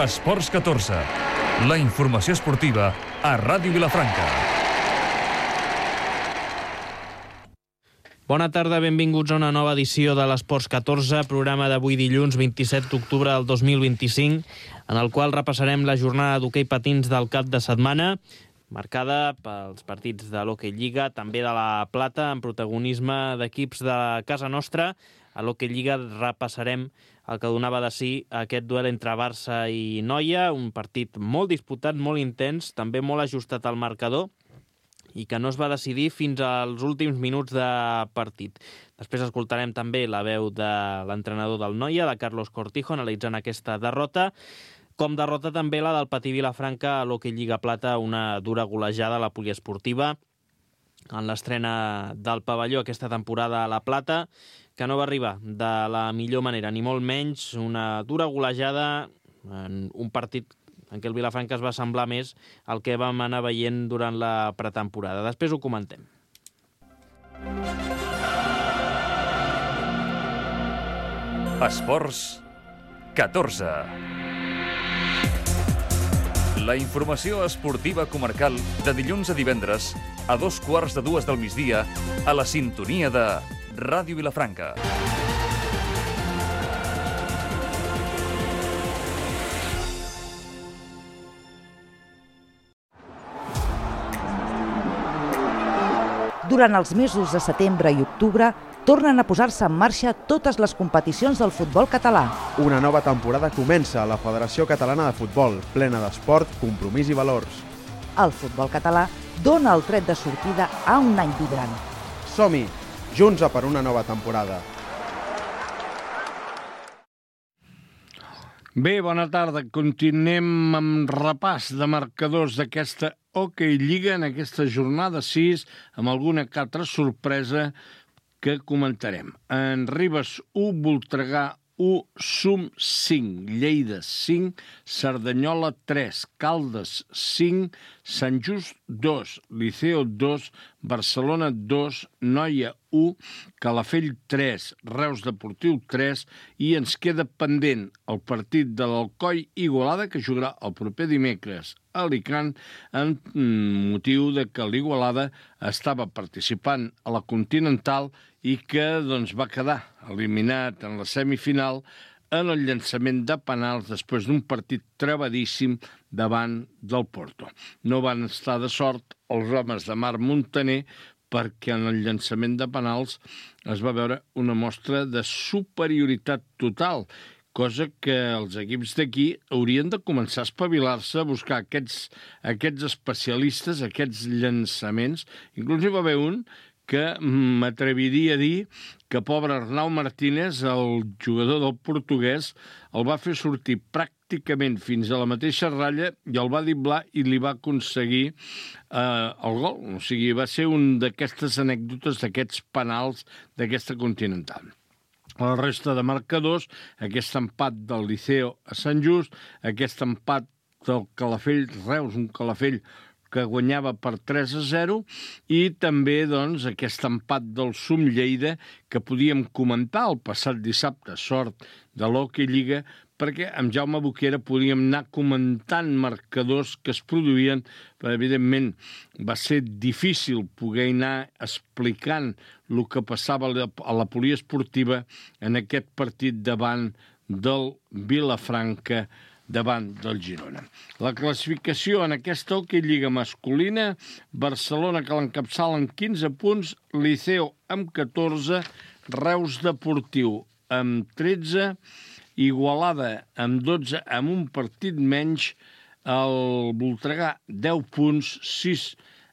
Esports 14. La informació esportiva a Ràdio Vilafranca. Bona tarda, benvinguts a una nova edició de l'Esports 14, programa d'avui dilluns 27 d'octubre del 2025, en el qual repassarem la jornada d'hoquei patins del cap de setmana, marcada pels partits de l'Hockey Lliga, també de la Plata, amb protagonisme d'equips de casa nostra. A l'Hockey Lliga repassarem el que donava de si aquest duel entre Barça i Noia, un partit molt disputat, molt intens, també molt ajustat al marcador, i que no es va decidir fins als últims minuts de partit. Després escoltarem també la veu de l'entrenador del Noia, de Carlos Cortijo, analitzant aquesta derrota, com derrota també la del Patí Vilafranca a l'Hockey Lliga Plata, una dura golejada a la poliesportiva en l'estrena del pavelló aquesta temporada a la Plata, que no va arribar de la millor manera, ni molt menys, una dura golejada en un partit en què el Vilafranca es va semblar més al que vam anar veient durant la pretemporada. Després ho comentem. Esports 14. La informació esportiva comarcal de dilluns a divendres a 2:15 del migdia a la sintonia de Ràdio Vilafranca. Durant els mesos de setembre i octubre tornen a posar-se en marxa totes les competicions del futbol català. Una nova temporada comença a la Federació Catalana de Futbol, plena d'esport, compromís i valors. El futbol català dona el tret de sortida a un any vibrant. Som-hi, junts a per una nova temporada. Bé, bona tarda. Continuem amb repàs de marcadors d'aquesta Hockey Lliga en aquesta jornada 6, amb alguna que altra sorpresa que comentarem. En Ribes 1, Voltregà 1, Sum 5, Lleida 5, Cerdanyola 3, Caldes 5, Sant Just 2, Liceo 2, Barcelona 2, Noia 1, Calafell 3, Reus Deportiu 3 i ens queda pendent el partit de l'Alcoi Igualada que jugarà el proper dimecres a Alicant en motiu de que l'Igualada estava participant a la Continental i que va quedar eliminat en la semifinal en el llançament de penals després d'un partit trebadíssim davant del Porto. No van estar de sort els homes de Marc Montaner perquè en el llançament de penals es va veure una mostra de superioritat total, cosa que els equips d'aquí haurien de començar a espavilar-se a buscar aquests especialistes, aquests llançaments. Inclús hi va haver un que m'atreviria a dir que pobre Arnau Martínez, el jugador del portuguès, el va fer sortir pràcticament fins a la mateixa ratlla i el va driblar i li va aconseguir el gol. O sigui, va ser un d'aquestes anècdotes, d'aquests penals d'aquesta Continental. La resta de marcadors, aquest empat del Liceo a Sant Just, aquest empat del Calafell Reus, un Calafell que guanyava per 3-0, i també aquest empat del Sum Lleida que podíem comentar el passat dissabte, sort de l'Hockey Lliga, perquè amb Jaume Boquera podíem anar comentant marcadors que es produïen, però evidentment va ser difícil poder anar explicant el que passava a la poliesportiva en aquest partit davant del Vilafranca, davant del Girona. La classificació en aquesta Hockey Lliga masculina, Barcelona que l'encapçala amb 15 punts, Liceo amb 14, Reus Deportiu amb 13, Igualada amb 12, amb un partit menys, el Voltregà 10 punts,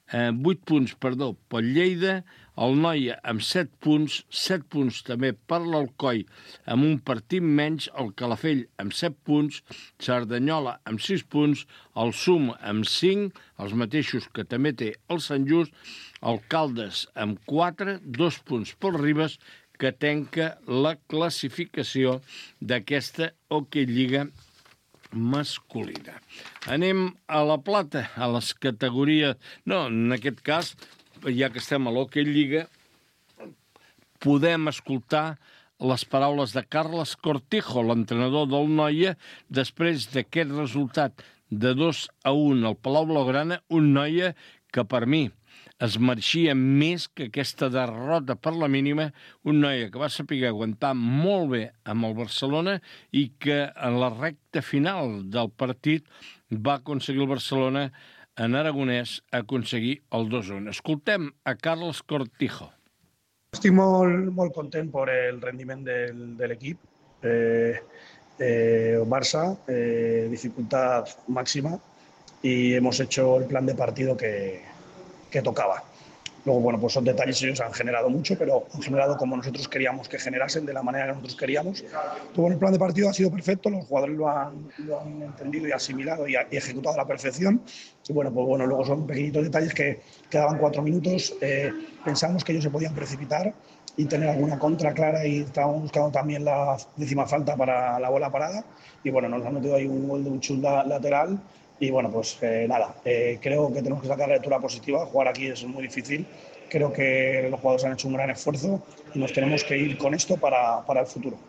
8 punts, pel Lleida, el Noia amb 7 punts també per l'Alcoi amb un partit menys, el Calafell amb 7 punts, Cerdanyola amb 6 punts, el Sum amb 5, els mateixos que també té el Sant Just, el Caldes amb 4, 2 punts pel Ribes, que tanca la classificació d'aquesta Hockey Lliga masculina. Anem a la Plata, a les categories... No, en aquest cas, ja que estem a l'Hockey Lliga, podem escoltar les paraules de Carles Cortijo, l'entrenador del Noia, després d'aquest resultat de 2-1 al Palau Blaugrana, un Noia que per mi es mereixia més que aquesta derrota per la mínima, un Noia que va saber aguantar molt bé amb el Barcelona i que en la recta final del partit va aconseguir el Barcelona en aragonès aconseguir el 2-1. Escoltem a Carles Cortijo. Estic molt content per el rendiment de l'equip. Barça, dificultad máxima y hemos hecho el plan de partido que tocaba. Luego, bueno, pues son detalles, ellos han generado mucho, pero han generado como nosotros queríamos que generasen, de la manera que nosotros queríamos. Todo el plan de partido ha sido perfecto, los jugadores lo han entendido y asimilado y ejecutado a la perfección. Y bueno, pues bueno, luego son pequeñitos detalles que quedaban 4 minutos. Pensamos que ellos se podían precipitar y tener alguna contra clara y estábamos buscando también la 10ª falta para la bola parada. Y bueno, nos han metido ahí un gol de un chut lateral. Y bueno, pues nada, creo que tenemos que sacar la lectura positiva. Jugar aquí es muy difícil. Creo que los jugadores han hecho un gran esfuerzo y nos tenemos que ir con esto para el futuro.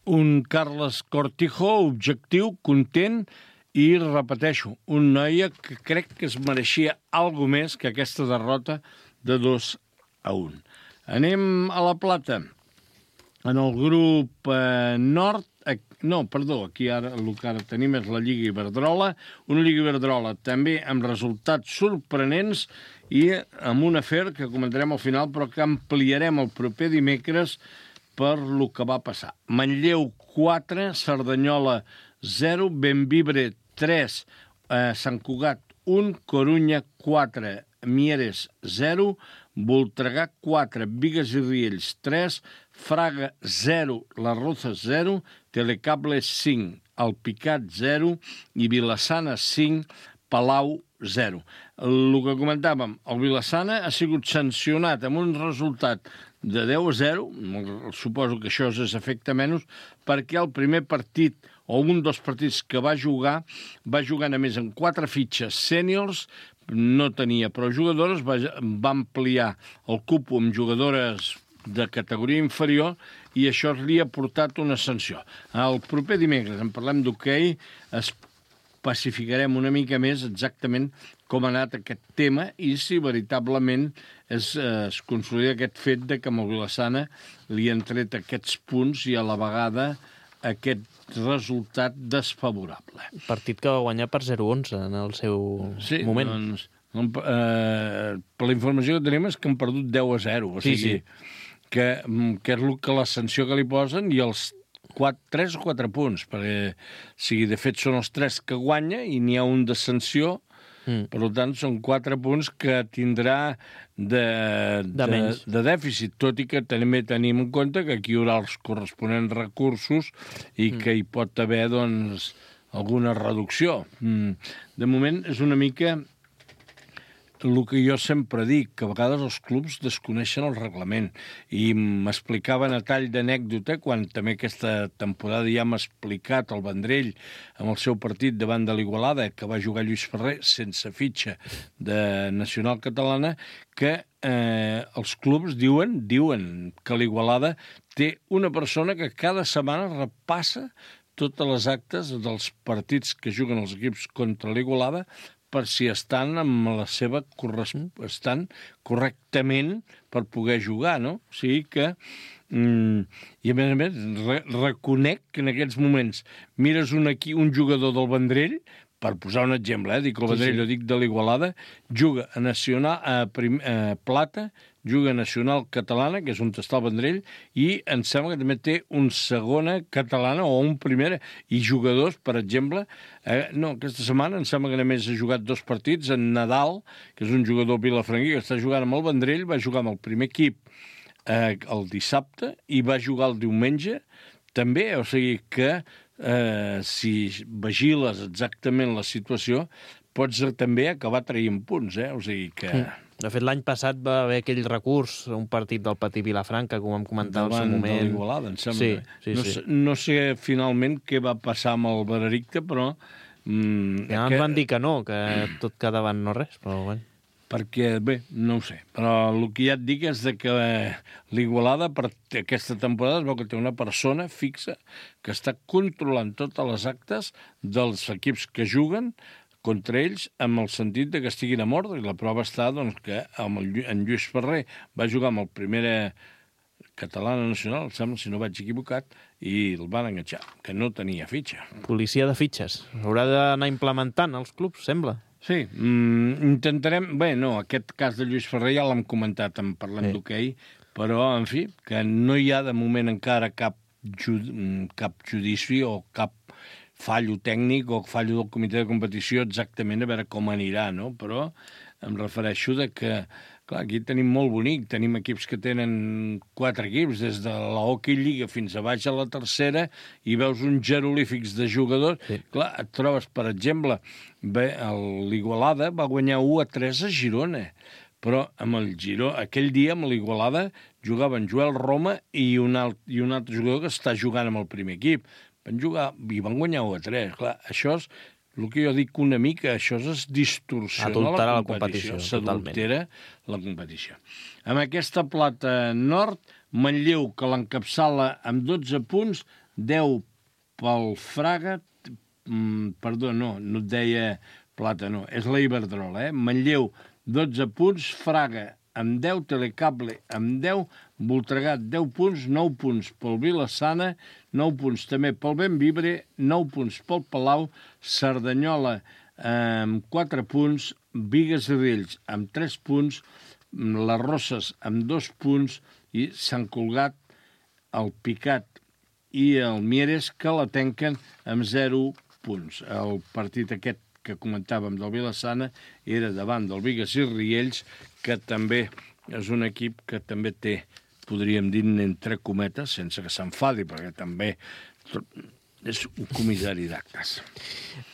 Un Carles Cortijo objectiu, content i, repeteixo, un Noia que crec que es mereixia alguna més que aquesta derrota de 2-1. Anem a la Plata. En el grup nord, aquí ara el que ara tenim és la Lliga Iberdrola, una Lliga Iberdrola també amb resultats sorprenents i amb un afer que comentarem al final, però que ampliarem el proper dimecres per lo que va passar. Manlleu 4, Cerdanyola 0, Bembibre 3, Sant Cugat 1, Corunya 4, Mieres 0, Voltregà 4, Bigues i Riells 3, Fraga 0, Les Rozas 0, Telecable 5, Alpicat 0 i Vilassana 5, Palau 0. El que comentàvem, el Vilassana ha sigut sancionat amb un resultat de 10-0, suposo que això és efecte menys, perquè el primer partit, o un dels partits que va jugar a més amb 4 fitxes sèniors, no tenia prou jugadores, va ampliar el cupo amb jugadores de categoria inferior i això li ha portat una sanció. El proper dimecres en parlem d'hoquei, especificarem una mica més exactament com ha anat aquest tema i si veritablement es consolida aquest fet de que amb el Vilassana li han tret aquests punts i a la vegada aquest resultat desfavorable. Partit que va guanyar per 0-11 en el seu moment. Doncs, per la informació que tenim és que han perdut 10-0, o sigui, que és la sanció que li posen i els 3 o 4 punts, perquè de fet són els 3 que guanya i n'hi ha un de sanció. Per tant, són 4 punts que tindrà de dèficit, tot i que també tenim en compte que aquí hi haurà els corresponents recursos i que hi pot haver doncs, alguna reducció. De moment és una mica el que jo sempre dic, que a vegades els clubs desconeixen el reglament. I m'explicaven a tall d'anècdota, quan també aquesta temporada ja m'ha explicat el Vendrell amb el seu partit davant de l'Igualada, que va jugar Lluís Ferrer sense fitxa de Nacional Catalana, que els clubs diuen que l'Igualada té una persona que cada setmana repassa totes les actes dels partits que juguen els equips contra l'Igualada per si estan amb la seva estan correctament per poder jugar, no? O sigui que i a més reconec que en aquests moments mires un jugador del Vendrell, per posar un exemple, dic el Vendrell, dic de l'Igualada, juga a Nacional a Plata, juga a Nacional Catalana, que és on està el Vendrell, i em sembla que també té un segona catalana o un primera, i jugadors, per exemple, aquesta setmana em sembla que només ha jugat 2 partits, en Nadal, que és un jugador vilafranquí, que està jugant amb el Vendrell, va jugar amb el primer equip el dissabte i va jugar el diumenge també, o sigui que si vigiles exactament la situació pots també acabar traient punts, o sigui que... De fet, l'any passat va haver aquell recurs, un partit del Patí Vilafranca, com vam comentar al seu moment. Davant de l'Igualada, em sembla. No sé finalment què va passar amb el Veredicte, però... Ja ens van dir que no, que tot quedava en no res, però bueno. perquè, bé, no ho sé, però el que ja et dic és que l'Igualada per aquesta temporada es veu que té una persona fixa que està controlant totes les actes dels equips que juguen contra ells, amb el sentit de que estiguin a mort, i la prova està doncs, que en Lluís Ferrer va jugar amb el Primera Catalana Nacional, sembla, si no vaig equivocat, i el van enganxar, que no tenia fitxa. Policia de fitxes. Haurà d'anar implementant els clubs, sembla. Sí, intentarem... Bé, no, aquest cas de Lluís Ferrer ja l'hem comentat en parlant d'hoquei, però, en fi, que no hi ha de moment encara cap judici o cap fallo tècnic o fallo del comitè de competició exactament a veure com anirà, no? Però em refereixo de que, clar, aquí tenim molt bonic, tenim equips que tenen 4 equips, des de la Hockey Lliga fins a baix a la tercera, i veus uns jeroglífics de jugadors. Sí. Clar, et trobes, per exemple, l'Igualada va guanyar 1-3 a Girona, però amb el Giró, aquell dia amb l'Igualada jugaven Joel Roma i un altre jugador que està jugant amb el primer equip. Van jugar i van guanyar 1-3. Clar, això és el que jo dic una mica, això és distorsiona la competició. S'adultera la competició. Amb aquesta plata nord, Manlleu, que l'encapçala amb 12 punts, 10 pel Fraga, perdó, no et deia plata, no, és la Iberdrola, Manlleu, 12 punts, Fraga amb 10, Telecable amb 10, Voltregà 10 punts, 9 punts pel Vila-sana, 9 punts també pel Bentvibre, 9 punts pel Palau, Cerdanyola amb 4 punts, Bigues i Riells amb 3 punts, les Roses amb 2 punts i Sant Cugat, el Picat i el Mieres que la tanquen amb 0 punts. El partit aquest que comentàvem del Vila-sana era davant del Bigues i Riells, que també és un equip que també té, podríem dir, entre cometes, sense que s'enfadi, perquè també és un comissari d'actes.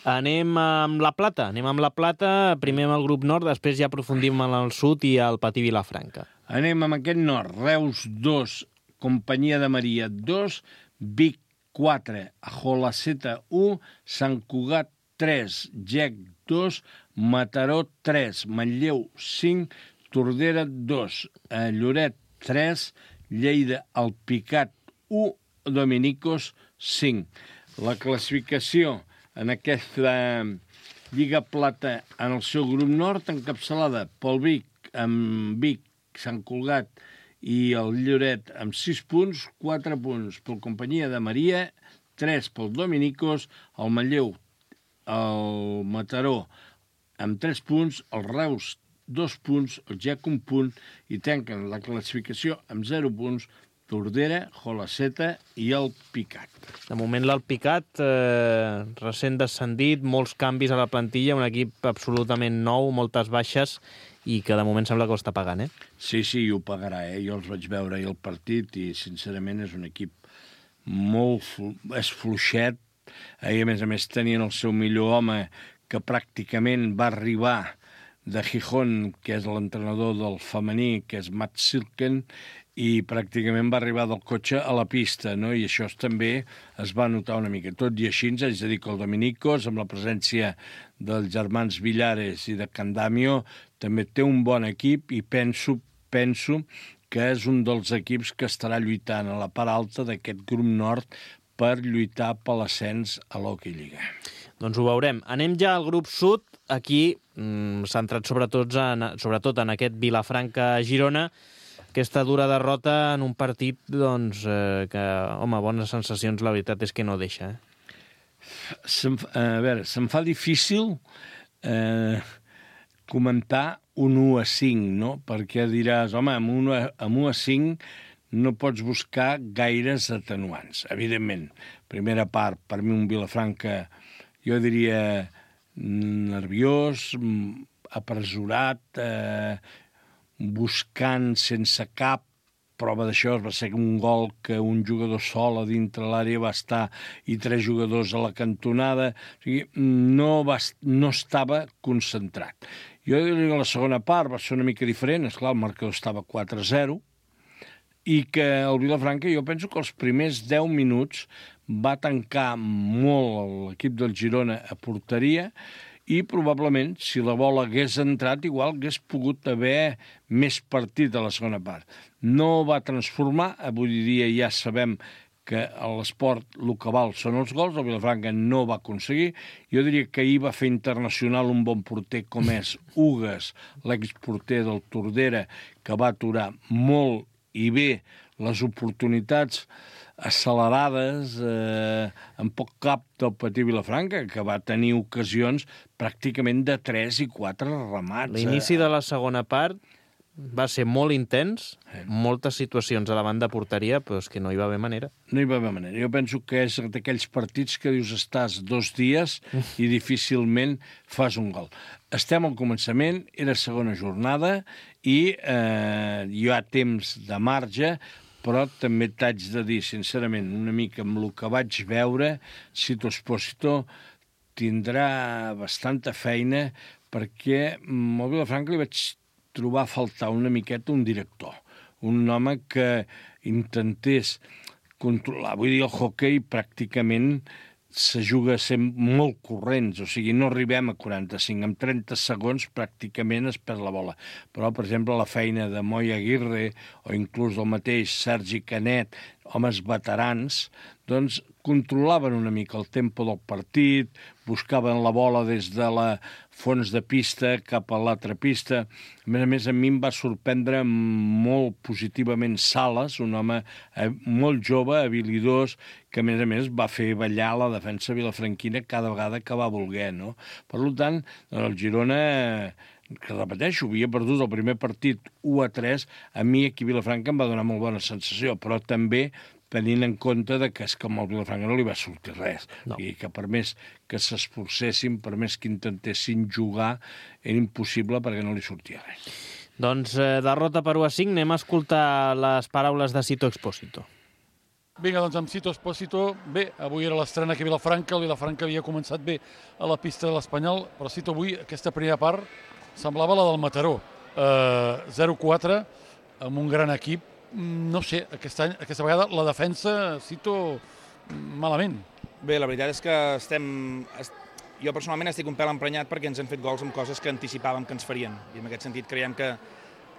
Anem amb la plata. Primer amb el grup nord, després ja aprofundim en el sud i al Patí Vilafranca. Anem amb aquest nord. Reus 2, Companyia de Maria 2, Vic 4, Jolaceta 1, Sant Cugat 3, Gec 2, Mataró 3, Manlleu 5, Tordera 2, Lloret 3, Lleida Alpicat 1, Dominicos 5. La classificació en aquesta Lliga Plata en el seu grup nord, encapçalada pel Vic, amb Vic, Sant Cugat i el Lloret amb 6 punts, 4 punts pel Companyia de Maria, 3 pel Dominicos, el Manlleu, el Mataró amb 3 punts, el Reus 2 punts, el Gec 1 punt, i tanquen la classificació amb 0 punts Tordera, Jolaceta i el Picat. De moment l'Alpicat, recent descendit, molts canvis a la plantilla, un equip absolutament nou, moltes baixes, i que de moment sembla que ho està pagant, Sí, ho pagarà, Jo els vaig veure ahir el partit i, sincerament, és un equip molt... és fluixet. Ahir, a més, tenien el seu millor home, que pràcticament va arribar de Gijón, que és l'entrenador del femení, que és Matt Silken, i pràcticament va arribar del cotxe a la pista, no? I això també es va notar una mica. Tot i així, haig de dir que el Dominicos, amb la presència dels germans Villares i de Candamio, també té un bon equip i penso que és un dels equips que estarà lluitant a la part alta d'aquest grup nord per lluitar per l'ascens a l'Hockey Lliga. Doncs ho veurem. Anem ja al grup sud, aquí centrat sobretot en aquest Vilafranca-Girona, aquesta dura derrota en un partit doncs, que, home, bones sensacions, la veritat és que no deixa. A veure, se'm fa difícil comentar un 1-5, no? Perquè diràs, home, amb 1-5 no pots buscar gaires atenuants. Evidentment, primera part, per mi un Vilafranca, jo diria nerviós, apresurat, buscant sense cap. Prova d'això va ser un gol que un jugador sol a dintre l'àrea va estar i 3 jugadors a la cantonada. O sigui, no estava concentrat. Jo diria que la segona part va ser una mica diferent. Esclar, el marcador estava 4-0 i que el Vilafranca, jo penso que els primers 10 minuts va tancar molt l'equip del Girona a porteria i probablement, si la bola hagués entrat, igual hagués pogut haver més partit a la segona part. No va transformar, avui dia ja sabem que a l'esport el que val són els gols, el Vilafranca no va aconseguir. Jo diria que ahir va fer internacional un bon porter com és Ugues, l'exporter del Tordera, que va aturar molt i bé les oportunitats accelerades en poc cap del Patí Vilafranca, que va tenir ocasions pràcticament de 3 i 4 remats. L'inici de la segona part va ser molt intens, moltes situacions a davant de porteria, però és que no hi va haver manera. No hi va haver manera. Jo penso que és d'aquells partits que dius estàs 2 dies i difícilment fas un gol. Estem al començament, era segona jornada i hi ha temps de marge, però també t'haig de dir, sincerament, una mica amb el que vaig veure, Sito Espósito tindrà bastanta feina perquè al Vilafranca li vaig trobar a faltar una miqueta un director, un home que intentés controlar. Vull dir, el hoquei pràcticament se juga sent molt corrents, o sigui, no arribem a 45, en 30 segons pràcticament es perd la bola. Però, per exemple, la feina de Moi Aguirre o inclús del mateix Sergi Canet, homes veterans, doncs controlaven una mica el tempo del partit, buscaven la bola des de la fons de pista cap a l'altra pista. A més, a mi em va sorprendre molt positivament Sales, un home molt jove, habilidós, que a més va fer ballar la defensa vilafranquina cada vegada que va voler, no? Per tant, el Girona, que repeteixo, havia perdut el primer partit 1-3, a mi aquí a Vilafranca em va donar molt bona sensació, però també tenint en compte que és que amb el Vilafranca no li va sortir res. No. I que per més que s'esforcessin, per més que intentessin jugar, era impossible perquè no li sortia res. Doncs derrota per 1-5, anem a escoltar les paraules de Sito Espósito. Vinga, doncs amb Sito Espósito, bé, avui era l'estrena aquí a Vilafranca, el Vilafranca havia començat bé a la pista de l'Espanyol, però Sito avui, aquesta primera part, semblava la del Mataró. 0-4, amb un gran equip. No sé, aquesta vegada la defensa, Sito, malament. Bé, la veritat és que jo personalment estic un pèl emprenyat perquè ens han fet gols amb coses que anticipàvem que ens farien. I en aquest sentit creiem que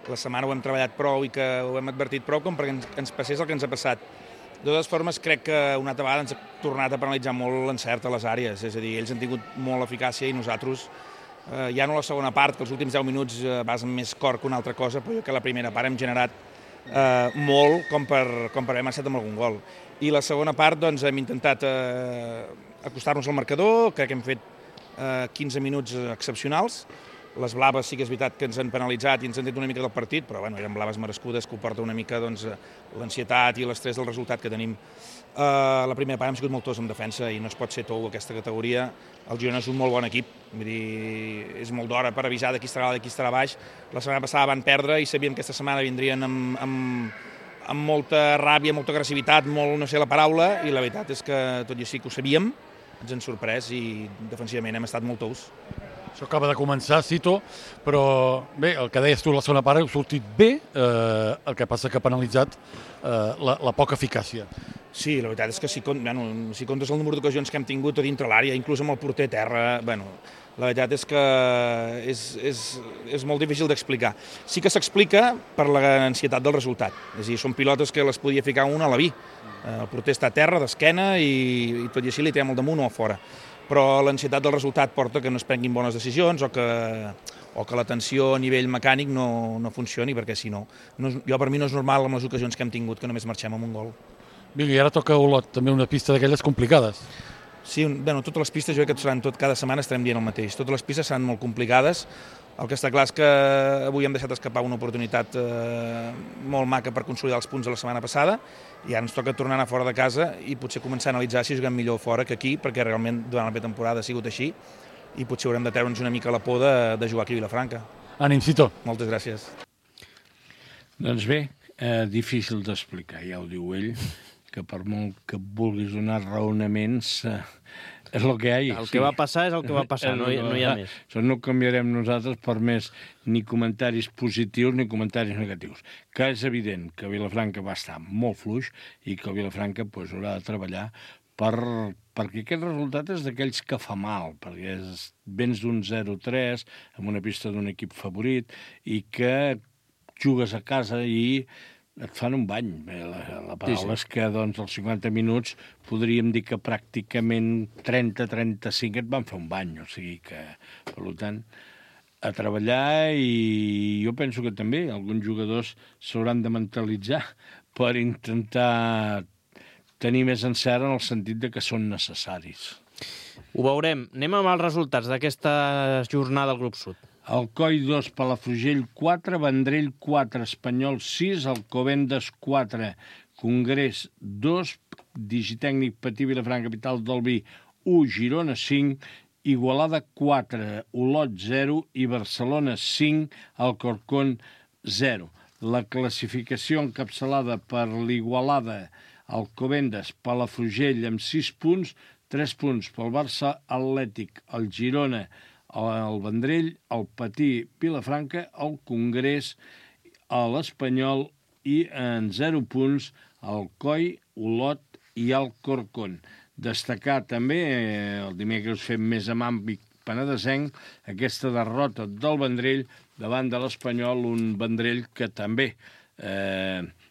la setmana ho hem treballat prou i que ho hem advertit prou com perquè ens passés el que ens ha passat. De totes formes, crec que una altra vegada ens ha tornat a penalitzar molt l'encert a les àrees. És a dir, ells han tingut molt eficàcia i nosaltres, ja no la segona part, que els últims 10 minuts vas amb més cor que una altra cosa, però jo que la primera part hem generat molt com per haver marxat amb algun gol. I la segona part doncs, hem intentat acostar-nos al marcador, crec que hem fet 15 minuts excepcionals. Les blaves sí que és veritat que ens han penalitzat i ens han tret una mica del partit, però bueno, eren blaves merescudes que ho porta una mica doncs, l'ansietat i l'estrès del resultat que tenim. La primera part hem sigut molt tots en defensa i no es pot ser tou aquesta categoria. El Girona és un molt bon equip, vull dir, és molt d'hora per avisar de qui estarà dalt i qui estarà baix. La setmana passada van perdre i sabíem que aquesta setmana vindrien amb molta ràbia, molta agressivitat, molt no sé la paraula, i la veritat és que tot i així que ho sabíem, ens han sorprès i defensivament hem estat molt tous. Això acaba de començar, Sito, però bé, el que deies tu la segona part heu sortit bé, el que passa que ha penalitzat la poca eficàcia. Sí, la veritat és que si comptes el número d'ocasions que hem tingut a dintre l'àrea, inclús amb el porter a terra, bueno, la veritat és que és molt difícil d'explicar. Sí que s'explica per l'ansietat del resultat, és a dir, són pilotes que les podia ficar una a la vi. El porter està a terra, d'esquena, i tot i així li tirem al damunt o a fora. Però l'ansietat del resultat porta que no es prenguin bones decisions o que la tensió a nivell mecànic no funcioni, perquè si no, per mi no és normal amb les ocasions que hem tingut que només marxem amb un gol. Vinga, i ara toca Olot, també una pista d'aquelles complicades. Sí, bueno, totes les pistes, jo crec que seran cada setmana estarem dient el mateix. Totes les pistes seran molt complicades. El que està clar és que avui hem deixat escapar una oportunitat molt maca per consolidar els punts de la setmana passada i ara ens toca tornar a anar fora de casa i potser començar a analitzar si juguem millor fora que aquí, perquè realment durant la pretemporada ha sigut així i potser haurem de treure'ns una mica la por de jugar aquí a Vilafranca. Ànim, Sito. Moltes gràcies. Doncs bé, difícil d'explicar, ja ho diu ell, que per molt que vulguis donar raonaments, és el que hi ha. El que va passar és el que va passar, no hi ha més. Això no canviarem nosaltres per més ni comentaris positius ni comentaris negatius. Que és evident que Vilafranca va estar molt fluix i que Vilafranca haurà de treballar perquè aquest resultat és d'aquells que fa mal, perquè vens d'un 0-3 amb una pista d'un equip favorit i que jugues a casa i et fan un bany. La paraula és que doncs, als 50 minuts podríem dir que pràcticament 30-35 et van fer un bany. O sigui que, per tant, a treballar, i jo penso que també alguns jugadors s'hauran de mentalitzar per intentar tenir més encert en el sentit de que són necessaris. Ho veurem. Anem amb els resultats d'aquesta jornada al grup sud. Alcoi 2, Palafrugell 4, Vendrell 4, Espanyol 6, Alcobendas 4, Congrés 2, Digitècnic Patí Vilafranca, Capital del Vi 1, Girona 5, Igualada 4, Olot 0 i Barcelona 5, Alcorcón 0. La classificació encapçalada per l'Igualada, Alcobendas, Palafrugell amb 6 punts, 3 punts pel Barça Atlètic, el Girona, el Vendrell, el Patí Vilafranca, el Congrés, l'Espanyol i en 0 punts el Coi, Olot i el Corcón. Destacar també, el dimecres fem més amb àmbit penedesenc, aquesta derrota del Vendrell davant de l'Espanyol, un Vendrell que també,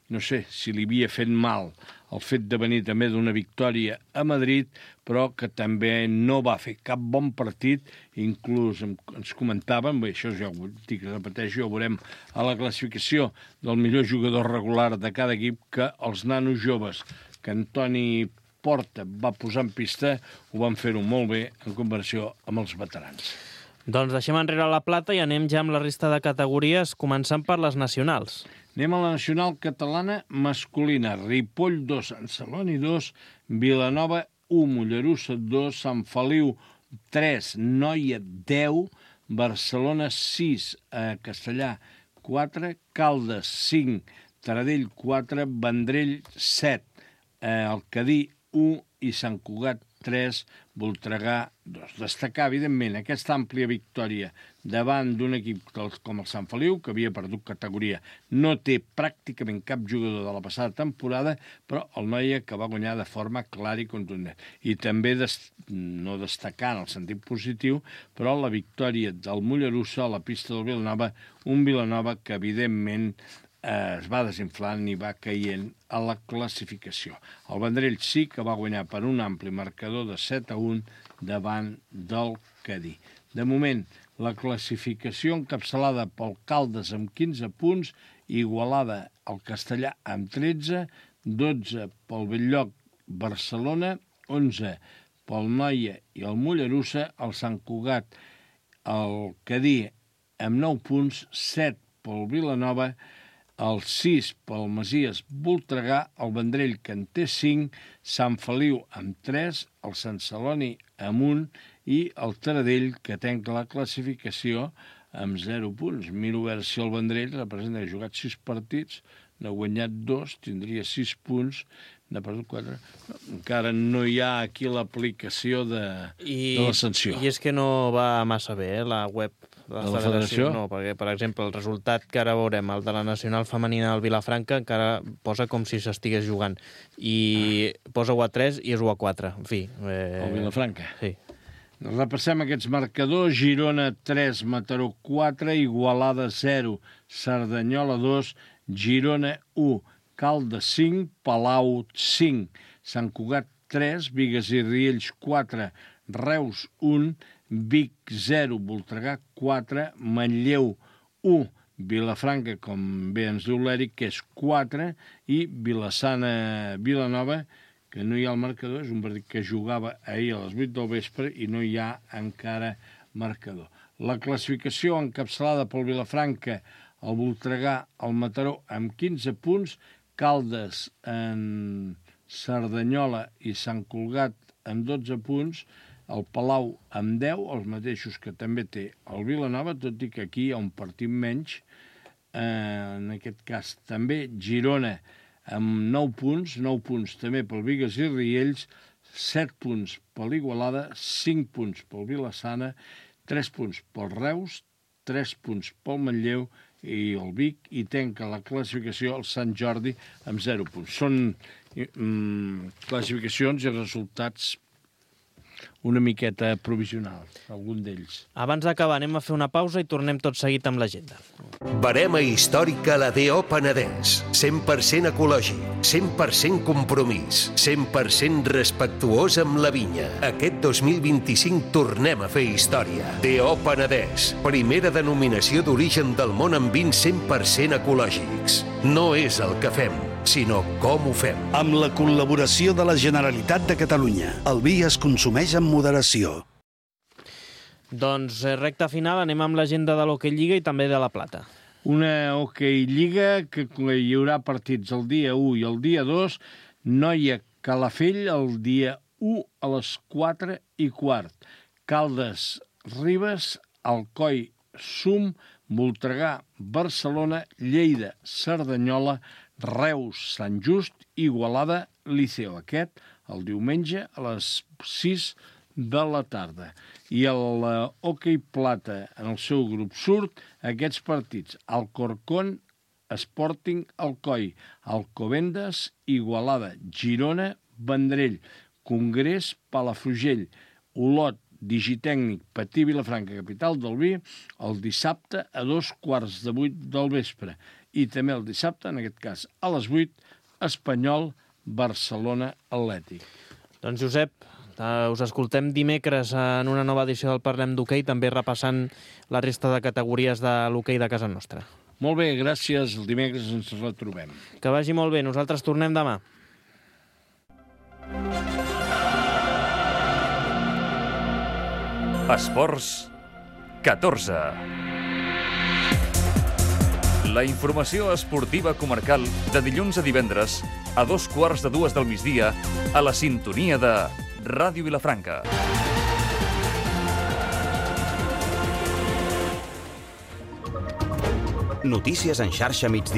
no sé si li havia fet mal el fet de venir també d'una victòria a Madrid, però que també no va fer cap bon partit, inclús ens comentaven, bé, això ja ho dic, repeteixo, ja ho veurem a la classificació del millor jugador regular de cada equip, que els nanos joves que Antoni Porta va posar en pista ho van fer-ho molt bé en comparació amb els veterans. Doncs deixem enrere la plata i anem ja amb la resta de categories, començant per les nacionals. Anem a la nacional catalana masculina. Ripoll 2, Sant Celoni 2, Vilanova 1, Mollerussa 2, Sant Feliu 3, Noia 10, Barcelona 6, Castellà 4, Caldes 5, Taradell 4, Vendrell 7, el Cadí 1 i Sant Cugat 3, Voltregà 2. Destacar, evidentment, aquesta àmplia victòria davant d'un equip com el Sant Feliu, que havia perdut categoria. No té pràcticament cap jugador de la passada temporada, però el Noia que va guanyar de forma clara i contundent. I també, no destacar en el sentit positiu, però la victòria del Mollerussa a la pista del Vilanova, un Vilanova que, evidentment, es va desinflant i va caient a la classificació. El Vendrell sí que va guanyar per un ampli marcador de 7-1 davant del Cadí. De moment, la classificació encapçalada pel Caldes amb 15 punts, Igualada el Castellà amb 13, 12 pel Bell-lloc Barcelona, 11 pel Noia i el Mollerussa, el Sant Cugat, el Cadí amb 9 punts, 7 pel Vilanova, el 6 pel Masies Voltregà, el Vendrell que en té 5, Sant Feliu amb 3, el Sant Celoni amb 1 i el Taradell que tanca la classificació amb 0 punts. Miro a veure si el Vendrell representa que ha jugat 6 partits, n'ha guanyat 2, tindria 6 punts, n'ha perdut 4. Encara no hi ha aquí l'aplicació de la sanció. I és que no va massa bé, la web de la federació? No, perquè, per exemple, el resultat que ara veurem, el de la nacional femenina del Vilafranca, encara posa com si s'estigués jugant. I posa 1-3 i és 1-4. En fi. El Vilafranca? Sí. Repassem aquests marcadors. Girona 3, Mataró 4, Igualada 0, Cerdanyola 2, Girona 1, Caldes 5, Palau 5, Sant Cugat 3, Bigues i Riells 4, Reus 1, Vic 0, Voltregà 4, Manlleu 1, Vilafranca, com bé ens diu l'Eric, que és 4, i Vilassana Vilanova, que no hi ha el marcador, és un partit que jugava ahir a les 8 del vespre i no hi ha encara marcador. La classificació encapçalada pel Vilafranca, el Voltregà, el Mataró amb 15 punts, Caldes, en Cerdanyola i Sant Cugat amb 12 punts, el Palau amb 10, els mateixos que també té el Vilanova, tot i que aquí hi ha un partit menys. En aquest cas també Girona amb 9 punts també pel Bigues i Riells, 7 punts per l'Igualada, 5 punts pel Vilassana, 3 punts pel Reus, 3 punts pel Manlleu i el Vic, i tanca la classificació el Sant Jordi amb 0 punts. Són classificacions i resultats una miqueta provisional, algun d'ells. Abans d'acabar, anem a fer una pausa i tornem tot seguit amb l'agenda. Barema històrica la D.O. Penedès. 100% ecològic, 100% compromís, 100% respectuós amb la vinya. Aquest 2025 tornem a fer història. D.O. Penedès. Primera denominació d'origen del món amb vins 100% ecològics. No és el que fem, sinó com ho fem. Amb la col·laboració de la Generalitat de Catalunya. El vi es consumeix amb moderació. Doncs recta final, anem amb l'agenda de l'Hockey Lliga i també de la Plata. Una Hockey Lliga que hi haurà partits el dia 1 i el dia 2, Noia Calafell el dia 1 a les 4:15, Caldes Ribes, Alcoi Sum, Voltregà Barcelona, Lleida Cerdanyola, Reus Sant Just, Igualada Liceo. Aquest el diumenge a les 6 de la tarda. I el Hockey Plata, en el seu grup surt aquests partits: Alcorcón, Sporting Alcoi, Alcobendas, Igualada, Girona, Vendrell, Congrés, Palafrugell, Olot, Digitècnic, Patí, Vilafranca, capital del vi, el dissabte a 7:15 del vespre. I també el dissabte, en aquest cas a les 8, Espanyol, Barcelona Atlètic. Doncs Josep, us escoltem dimecres en una nova edició del Parlem d'Hoquei, també repassant la resta de categories de l'hoquei de casa nostra. Molt bé, gràcies. El dimecres ens retrobem. Que vagi molt bé. Nosaltres tornem demà. Esports 14. La informació esportiva comarcal de dilluns a divendres a 2:15 del migdia a la sintonia de Ràdio Vilafranca. Notícies en xarxa migdia.